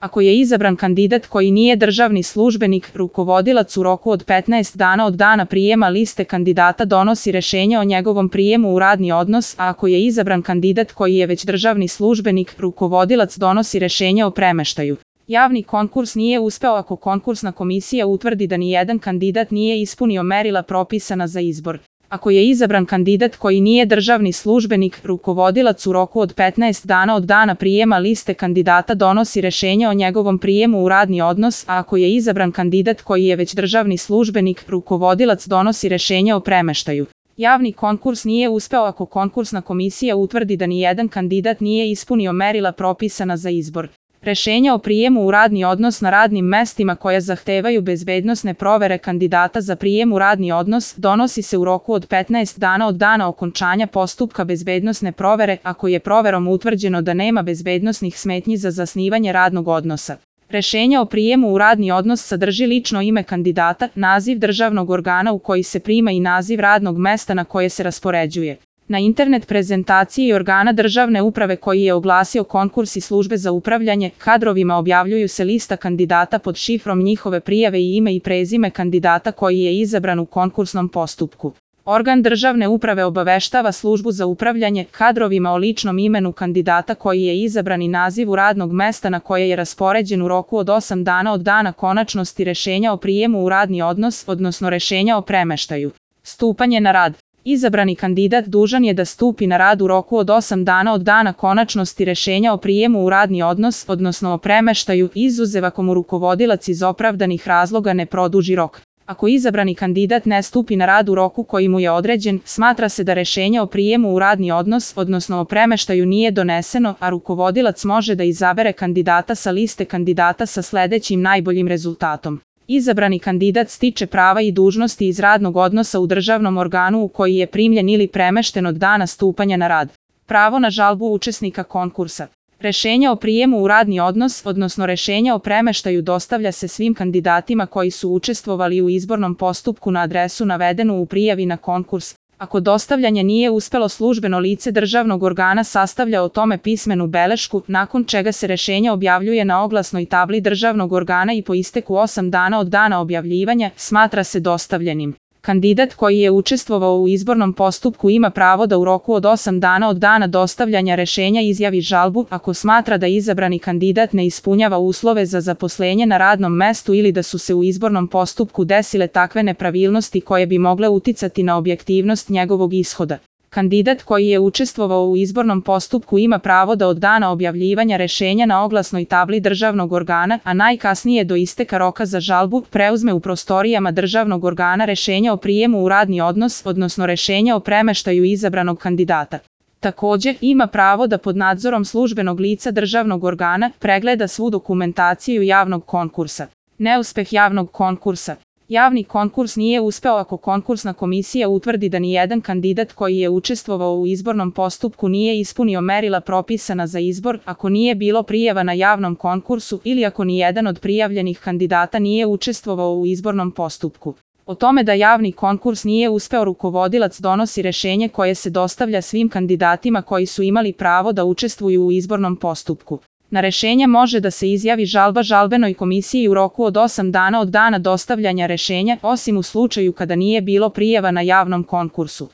Ako je izabran kandidat koji nije državni službenik, rukovodilac u roku od 15 dana od dana prijema liste kandidata donosi rješenje o njegovom prijemu u radni odnos, a ako je izabran kandidat koji je već državni službenik, rukovodilac donosi rješenje o premeštaju. Javni konkurs nije uspeo ako konkursna komisija utvrdi da nijedan kandidat nije ispunio merila propisana za izbor. Ako je izabran kandidat koji nije državni službenik, rukovodilac u roku od 15 dana od dana prijema liste kandidata donosi rješenje o njegovom prijemu u radni odnos, a ako je izabran kandidat koji je već državni službenik, rukovodilac donosi rješenje o premeštaju. Javni konkurs nije uspeo ako konkursna komisija utvrdi da nijedan kandidat nije ispunio merila propisana za izbor. Rješenja o prijemu u radni odnos na radnim mestima koja zahtevaju bezbednosne provere kandidata za prijem u radni odnos donosi se u roku od 15 dana od dana okončanja postupka bezbednosne provere ako je proverom utvrđeno da nema bezbednosnih smetnji za zasnivanje radnog odnosa. Rješenje o prijemu u radni odnos sadrži lično ime kandidata, naziv državnog organa u koji se prima i naziv radnog mesta na koje se raspoređuje. Na internet prezentaciji organa državne uprave koji je oglasio konkurs i službe za upravljanje kadrovima objavljuju se lista kandidata pod šifrom njihove prijave i ime i prezime kandidata koji je izabran u konkursnom postupku. Organ državne uprave obaveštava službu za upravljanje kadrovima o ličnom imenu kandidata koji je izabran i nazivu radnog mesta na koje je raspoređen u roku od 8 dana od dana konačnosti rješenja o prijemu u radni odnos, odnosno rješenja o premeštaju. Stupanje na rad. Izabrani kandidat dužan je da stupi na rad u roku od 8 dana od dana konačnosti rješenja o prijemu u radni odnos, odnosno o premeštaju, izuzev ako mu rukovodilac iz opravdanih razloga ne produži rok. Ako izabrani kandidat ne stupi na rad u roku koji mu je određen, smatra se da rješenje o prijemu u radni odnos, odnosno o premeštaju nije doneseno, a rukovodilac može da izabere kandidata sa liste kandidata sa sljedećim najboljim rezultatom. Izabrani kandidat stiče prava i dužnosti iz radnog odnosa u državnom organu u koji je primljen ili premešten od dana stupanja na rad. Pravo na žalbu učesnika konkursa. Rješenje o prijemu u radni odnos, odnosno rješenje o premeštaju dostavlja se svim kandidatima koji su učestvovali u izbornom postupku na adresu navedenu u prijavi na konkurs. Ako dostavljanje nije uspelo, službeno lice državnog organa sastavlja o tome pismenu belešku, nakon čega se rješenje objavljuje na oglasnoj tabli državnog organa i po isteku 8 dana od dana objavljivanja smatra se dostavljenim. Kandidat koji je učestvovao u izbornom postupku ima pravo da u roku od 8 dana od dana dostavljanja rješenja izjavi žalbu ako smatra da izabrani kandidat ne ispunjava uslove za zaposlenje na radnom mestu ili da su se u izbornom postupku desile takve nepravilnosti koje bi mogle uticati na objektivnost njegovog ishoda. Kandidat koji je učestvovao u izbornom postupku ima pravo da od dana objavljivanja rješenja na oglasnoj tabli državnog organa, a najkasnije do isteka roka za žalbu, preuzme u prostorijama državnog organa rješenje o prijemu u radni odnos, odnosno rješenje o premeštaju izabranog kandidata. Također, ima pravo da pod nadzorom službenog lica državnog organa pregleda svu dokumentaciju javnog konkursa. Neuspeh javnog konkursa. Javni konkurs nije uspeo ako konkursna komisija utvrdi da nijedan kandidat koji je učestvovao u izbornom postupku nije ispunio merila propisana za izbor, ako nije bilo prijava na javnom konkursu ili ako nijedan od prijavljenih kandidata nije učestvovao u izbornom postupku. O tome da javni konkurs nije uspeo, rukovodilac donosi rješenje koje se dostavlja svim kandidatima koji su imali pravo da učestvuju u izbornom postupku. Na rješenje može da se izjavi žalba žalbenoj komisiji u roku od 8 dana od dana dostavljanja rješenja, osim u slučaju kada nije bilo prijava na javnom konkursu.